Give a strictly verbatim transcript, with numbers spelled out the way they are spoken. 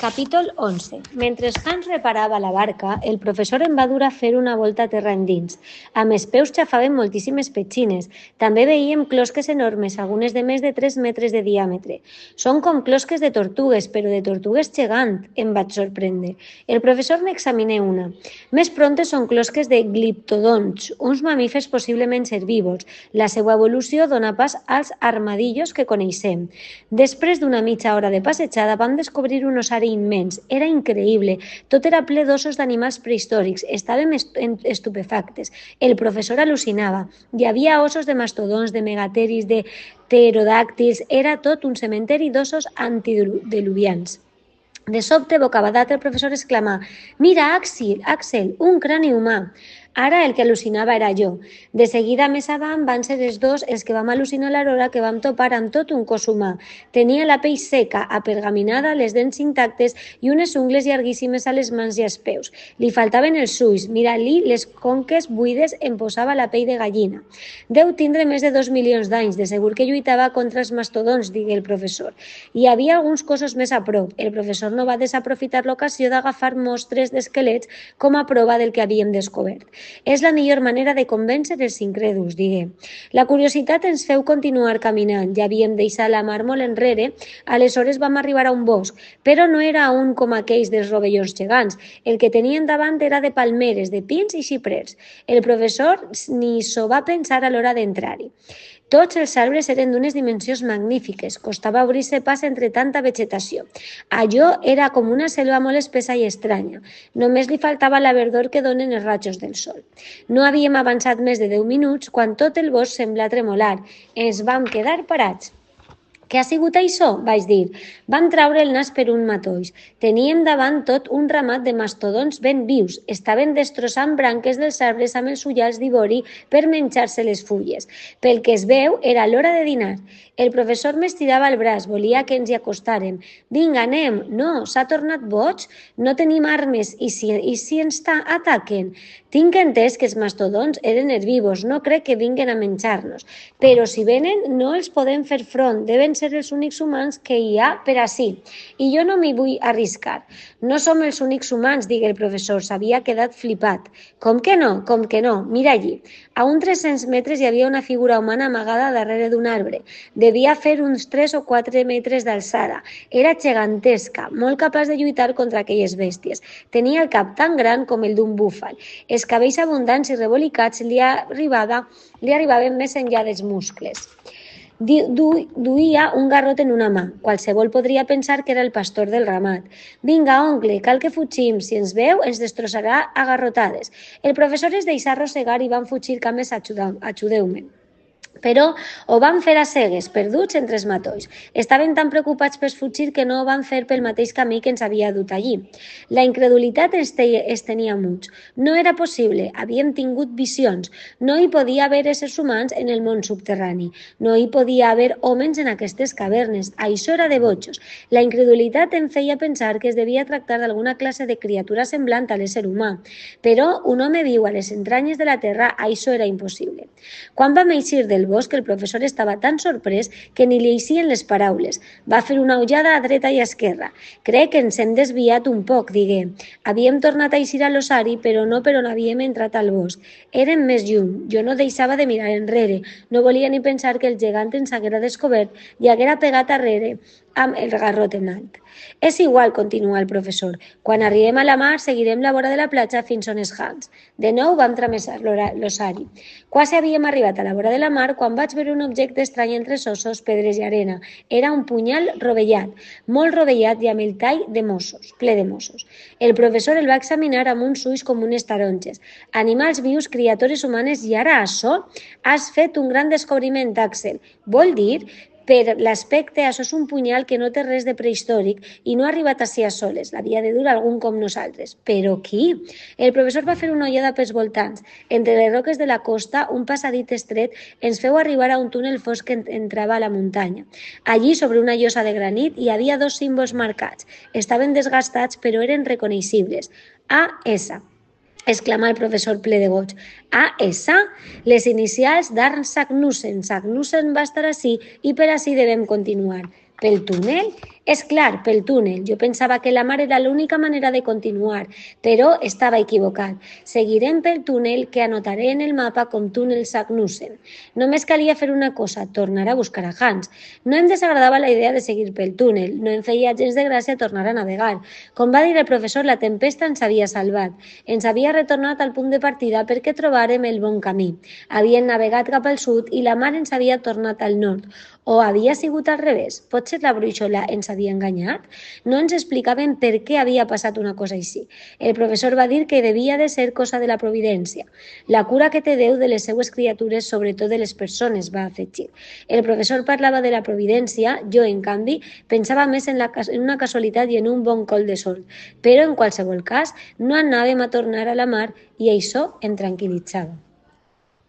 Capítol onze. Mentre Hans reparava la barca, el professor em va dur a fer una volta a terra endins. Amb els peus xafaven moltíssimes petxines. També veiem closques enormes, algunes de més de tres metres de diàmetre. Són com closques de tortugues, però de tortugues gegant, em vaig sorprendre. El professor n'examinà una. Més pronte són closques de gliptodonts, uns mamífers possiblement herbívors. La seva evolució dona pas als armadillos que coneixem. Després d'una mitja hora de passejada vam descobrir un ossari immens. Era increïble. Tot era ple d'ossos d'animals prehistòrics. Estàvem estupefactes. El professor al·lucinava. Hi havia ossos de mastodons, de megateris, de pterodàctils. Era tot un cementeri d'ossos antediluvians. De sobte, bocabadat, el professor exclamà: «Mira, Axel, Axel, un crani humà!» Ara el que al·lucinava era jo. De seguida més avant van ser els dos els que vam al·lucinar l'hora que vam topar amb tot un cos humà. Tenia la pell seca, apergaminada, les dents intactes i unes ungles llarguíssimes a les mans i als peus. Li faltaven els ulls, mirant-li les conques buides em posava la pell de gallina. Deu tindre més de dos milions d'anys, de segur que lluitava contra els mastodons, digué el professor. Hi havia alguns cossos més a prop. El professor no va desaprofitar l'ocasió d'agafar mostres d'esquelets com a prova del que havíem descobert. És la millor manera de convèncer els incrèduls, digué. La curiositat ens feu continuar caminant. Ja havíem deixat la mar molt enrere, aleshores vam arribar a un bosc, però no era un com aquells dels rovellons gegants. El que tenien davant era de palmeres, de pins i xiprers. El professor ni s'ho va pensar a l'hora d'entrar-hi. Tots els arbres eren d'unes dimensions magnífiques. Costava obrir-se pas entre tanta vegetació. Allò era com una selva molt espessa i estranya. Només li faltava la verdor que donen els rajos del sol. No havíem avançat més de deu minuts quan tot el bosc semblà tremolar. Ens vam quedar parats. «Què ha sigut això?», vaig dir. Vam traure el nas per un matolls. Teníem davant tot un ramat de mastodons ben vius. Estaven destrossant branques dels arbres amb els ullals d'ivori per menjar-se les fulles. Pel que es veu, era l'hora de dinar. El professor m'estirava el braç, volia que ens hi acostàrem. «Vinga, anem!» «No, s'ha tornat boig? No tenim armes, i si, i si ens ataquen?» «Tinc entès que els mastodons eren herbívors, no crec que vinguen a menjar-nos. Però si venen, no els podem fer front, deuen ser els únics humans que hi ha per ací. I jo no m'hi vull arriscar». «No som els únics humans», digué el professor, s'havia quedat flipat. «Com que no? Com que no? Mira allí». A uns tres-cents metres hi havia una figura humana amagada darrere d'un arbre. Devia fer uns tres o quatre metres d'alçada. Era gegantesca, molt capaç de lluitar contra aquelles bèsties. Tenia el cap tan gran com el d'un búfal. Els cabells abundants i revolicats li, arribava, li arribaven més enllà dels muscles. Du, duia un garrot en una mà. Qualsevol podria pensar que era el pastor del ramat. «Vinga, oncle, cal que fugim. Si ens veu, ens destrossarà a garrotades». El professor es deixà arrossegar i van fugir cames, ajudeu-me. Però ho van fer a cegues, perduts entre els matolls. Estaven tan preocupats per fugir que no ho van fer pel mateix camí que ens havia dut allí. La incredulitat es tenia muts. No era possible, havíem tingut visions. No hi podia haver éssers humans en el món subterrani. No hi podia haver homes en aquestes cavernes. Això era de bojos. La incredulitat em feia pensar que es devia tractar d'alguna classe de criatura semblant a l'ésser humà. Però un home viu a les entranyes de la terra, això era impossible. Quan vam eixir del bosc, el professor estava tan sorprès que ni li eixien les paraules. Va fer una ullada a dreta i a esquerra. «Crec que ens hem desviat un poc», digué. Havíem tornat a eixir a l'ossari, però no per on havíem entrat al bosc. Érem més lluny. Jo no deixava de mirar enrere. No volia ni pensar que el gegant ens haguera descobert i haguera pegat arrere amb el garrot en alt. «És igual», continua el professor. «Quan arribem a la mar, seguirem la vora de la platja fins on és Hans». De nou vam travessar l'ossari. Quasi havíem arribat a la vora de la mar quan vaig veure un objecte estrany entre ossos, pedres i arena. Era un punyal rovellat, molt rovellat i amb el tall de mossos, ple de mossos. El professor el va examinar amb uns ulls com unes taronges. «Animals vius, criatures humanes i ara açò? Has fet un gran descobriment, Axel. Vol dir...» Per l'aspecte, això és un punyal que no té res de prehistòric i no ha arribat ací a soles. L'havia de dur algun com nosaltres. Però qui? El professor va fer una ullada pels voltants. Entre les roques de la costa, un passadís estret ens feu arribar a un túnel fosc que entrava a la muntanya. Allí, sobre una llosa de granit, hi havia dos símbols marcats. Estaven desgastats, però eren reconeixibles. A S exclamà el professor ple de goig. «A essa? Les inicials d'Arn Sagnussen. Sagnussen va estar ací i per ací devem continuar». «Pel túnel? És clar, pel túnel. Jo pensava que la mar era l'única manera de continuar, però estava equivocat. Seguirem pel túnel que anotaré en el mapa com túnel Sagnussen. Només calia fer una cosa, tornar a buscar a Hans. No em desagradava la idea de seguir pel túnel, no em feia gens de gràcia tornar a navegar. Com va dir el professor, la tempesta ens havia salvat. Ens havia retornat al punt de partida perquè trobàrem el bon camí. Havien navegat cap al sud i la mar ens havia tornat al nord. O havia sigut al revés? Potser la brúixola ens havia enganyat? No ens explicaven per què havia passat una cosa així. El professor va dir que devia de ser cosa de la providència. La cura que té Déu de les seues criatures, sobretot de les persones, va afegir. El professor parlava de la providència, jo, en canvi, pensava més en, la, en una casualitat i en un bon col de sol. Però, en qualsevol cas, no anàvem a tornar a la mar i això em tranquil·litzava.